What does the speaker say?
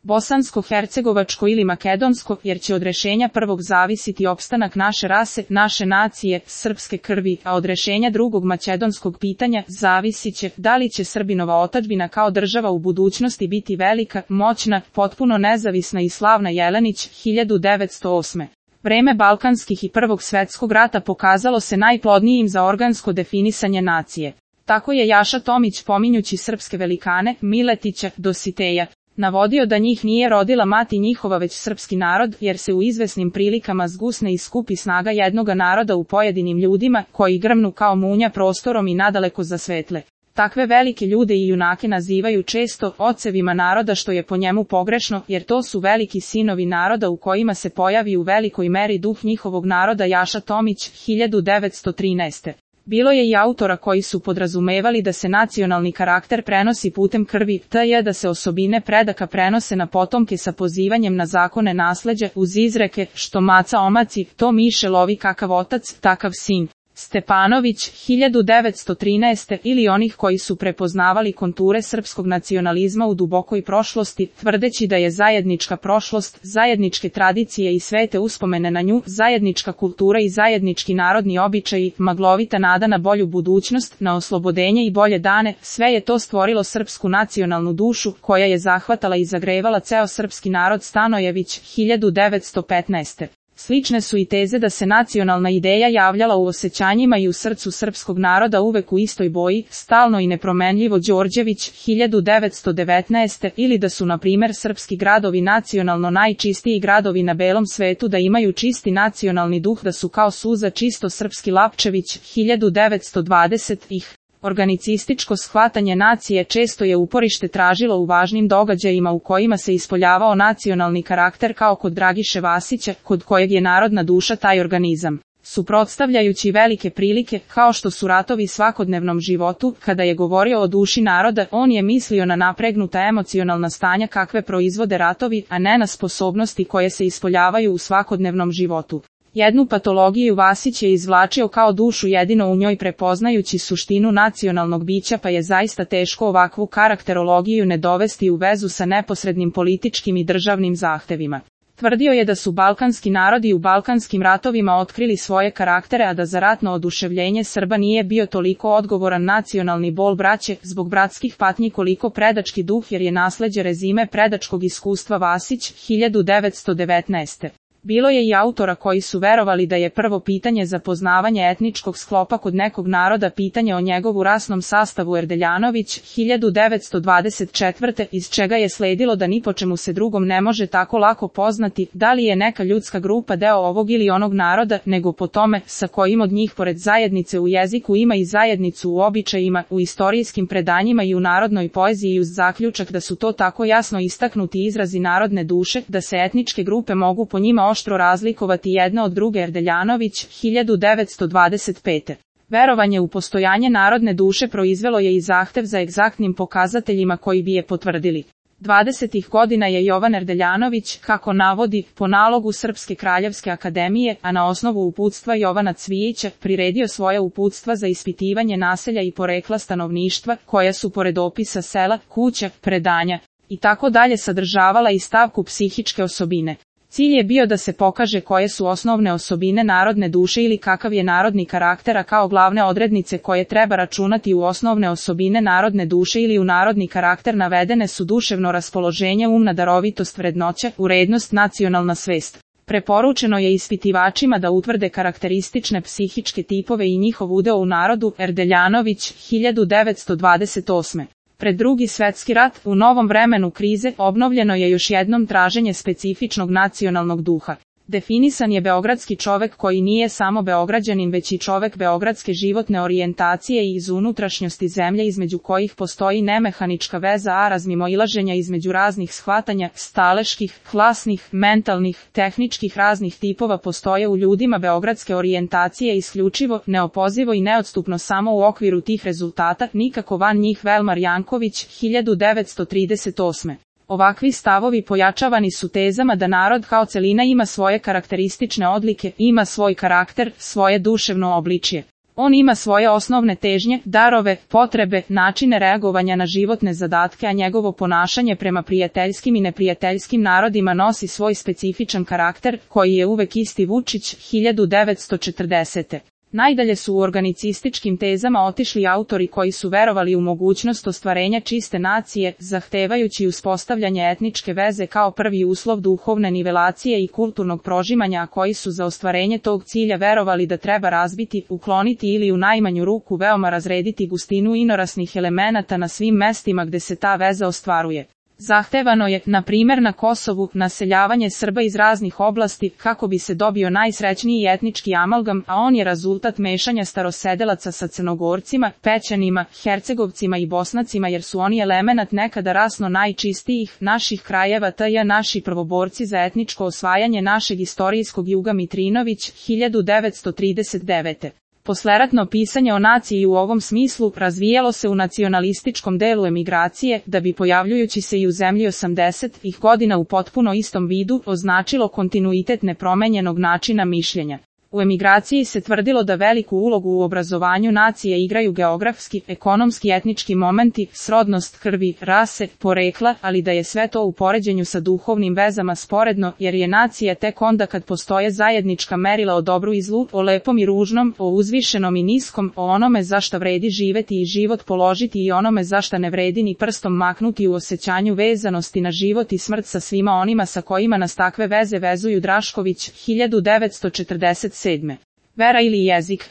bosansko-hercegovačko ili makedonsko, jer će od rešenja prvog zavisiti opstanak naše rase, naše nacije, srpske krvi, a od rešenja drugog makedonskog pitanja zavisit će da li će Srbinova otadžbina kao država u budućnosti biti velika, moćna, potpuno nezavisna i slavna. Jelenić, 1908. Vreme balkanskih i Prvog svetskog rata pokazalo se najplodnijim za organsko definisanje nacije. Tako je Jaša Tomić, pominjući srpske velikane, Miletića, Dositeja, navodio da njih nije rodila mati njihova već srpski narod, jer se u izvesnim prilikama zgusne i skupi snaga jednoga naroda u pojedinim ljudima, koji grmnu kao munja prostorom i nadaleko zasvetle. Takve velike ljude i junake nazivaju često ocevima naroda, što je po njemu pogrešno, jer to su veliki sinovi naroda u kojima se pojavi u velikoj meri duh njihovog naroda. Jaša Tomić, 1913. Bilo je i autora koji su podrazumevali da se nacionalni karakter prenosi putem krvi, t.j. da se osobine predaka prenose na potomke sa pozivanjem na zakone nasleđa, uz izreke, što maca omaci, to miše lovi, kakav otac, takav sin. Stepanović, 1913. Ili onih koji su prepoznavali konture srpskog nacionalizma u dubokoj prošlosti, tvrdeći da je zajednička prošlost, zajedničke tradicije i svete uspomene na nju, zajednička kultura i zajednički narodni običaji, maglovita nada na bolju budućnost, na oslobodenje i bolje dane, sve je to stvorilo srpsku nacionalnu dušu, koja je zahvatala i zagrevala ceo srpski narod. Stanojević, 1915. Slične su i teze da se nacionalna ideja javljala u osjećanjima i u srcu srpskog naroda uvek u istoj boji, stalno i nepromenljivo. Đorđević, 1919. Ili da su na primer srpski gradovi nacionalno najčistiji gradovi na belom svetu, da imaju čisti nacionalni duh, da su kao suza čisto srpski. Lapčević, 1920. Organicističko shvatanje nacije često je uporište tražilo u važnim događajima u kojima se ispoljavao nacionalni karakter, kao kod Dragiše Vasića, kod kojeg je narodna duša taj organizam. Suprotstavljajući velike prilike, kao što su ratovi svakodnevnom životu, kada je govorio o duši naroda, on je mislio na napregnuta emocionalna stanja kakve proizvode ratovi, a ne na sposobnosti koje se ispoljavaju u svakodnevnom životu. Jednu patologiju Vasić je izvlačio kao dušu jedino u njoj, prepoznajući suštinu nacionalnog bića, pa je zaista teško ovakvu karakterologiju ne dovesti u vezu sa neposrednim političkim i državnim zahtevima. Tvrdio je da su balkanski narodi u balkanskim ratovima otkrili svoje karaktere, a da za ratno oduševljenje Srba nije bio toliko odgovoran nacionalni bol braće, zbog bratskih patnji, koliko predački duh, jer je nasleđe rezime predačkog iskustva. Vasić, 1919. Bilo je i autora koji su verovali da je prvo pitanje za poznavanje etničkog sklopa kod nekog naroda pitanje o njegovu rasnom sastavu. Erdeljanović, 1924. Iz čega je sledilo da ni po čemu se drugom ne može tako lako poznati da li je neka ljudska grupa deo ovog ili onog naroda, nego po tome sa kojim od njih pored zajednice u jeziku ima i zajednicu u običajima, u istorijskim predanjima i u narodnoj poeziji, uz zaključak da su to tako jasno istaknuti izrazi narodne duše, da se etničke grupe mogu po njima oštro razlikovati jedna od druge. Erdeljanović, 1925. Verovanje u postojanje narodne duše proizvelo je i zahtev za egzaktnim pokazateljima koji bi je potvrdili. 20. godina je Jovan Erdeljanović, kako navodi, po nalogu Srpske kraljevske akademije, a na osnovu uputstva Jovana Cvijića, priredio svoja uputstva za ispitivanje naselja i porekla stanovništva, koja su pored opisa sela, kuća, predanja i tako dalje sadržavala i stavku psihičke osobine. Cilj je bio da se pokaže koje su osnovne osobine narodne duše ili kakav je narodni karakter, a kao glavne odrednice koje treba računati u osnovne osobine narodne duše ili u narodni karakter navedene su duševno raspoloženje, umna darovitost, vrednoća, urednost, nacionalna svest. Preporučeno je ispitivačima da utvrde karakteristične psihičke tipove i njihov udeo u narodu. Erdeljanović, 1928. Pred Drugi svetski rat, u novom vremenu krize, obnovljeno je još jednom traženje specifičnog nacionalnog duha. Definisan je beogradski čovek koji nije samo beograđanin već i čovek beogradske životne orijentacije i iz unutrašnjosti zemlje, između kojih postoji nemehanička veza, a razmimoilaženja između raznih shvatanja, staleških, klasnih, mentalnih, tehničkih raznih tipova postoje u ljudima beogradske orijentacije isključivo, neopozivo i neodstupno samo u okviru tih rezultata, nikako van njih. Velmar Janković, 1938. Ovakvi stavovi pojačavani su tezama da narod kao celina ima svoje karakteristične odlike, ima svoj karakter, svoje duševno obličje. On ima svoje osnovne težnje, darove, potrebe, načine reagovanja na životne zadatke, a njegovo ponašanje prema prijateljskim i neprijateljskim narodima nosi svoj specifičan karakter, koji je uvek isti. Vučić, 1940. Najdalje su u organicističkim tezama otišli autori koji su verovali u mogućnost ostvarenja čiste nacije, zahtevajući uspostavljanje etničke veze kao prvi uslov duhovne nivelacije i kulturnog prožimanja, a koji su za ostvarenje tog cilja verovali da treba razbiti, ukloniti ili u najmanju ruku veoma razrediti gustinu inorasnih elemenata na svim mestima gde se ta veza ostvaruje. Zahtevano je, na primjer na Kosovu, naseljavanje Srba iz raznih oblasti, kako bi se dobio najsrećniji etnički amalgam, a on je rezultat mešanja starosedelaca sa Crnogorcima, Pećanima, Hercegovcima i Bosnacima, jer su oni elemenat nekada rasno najčistijih naših krajeva, tj. naši prvoborci za etničko osvajanje našeg istorijskog juga. Mitrinović, 1939. Posleratno pisanje o naciji u ovom smislu razvijalo se u nacionalističkom delu emigracije, da bi pojavljujući se i u zemlji 80-ih godina u potpuno istom vidu označilo kontinuitet nepromenjenog načina mišljenja. U emigraciji se tvrdilo da veliku ulogu u obrazovanju nacije igraju geografski, ekonomski, etnički momenti, srodnost krvi, rase, porekla, ali da je sve to u poređenju sa duhovnim vezama sporedno, jer je nacija tek onda kad postoje zajednička merila o dobru i zlu, o lepom i ružnom, o uzvišenom i niskom, o onome za šta vredi živeti i život položiti i onome za šta ne vredi ni prstom maknuti, u osjećanju vezanosti na život i smrt sa svima onima sa kojima nas takve veze vezuju. Drašković, 1947. Vera ili jezik.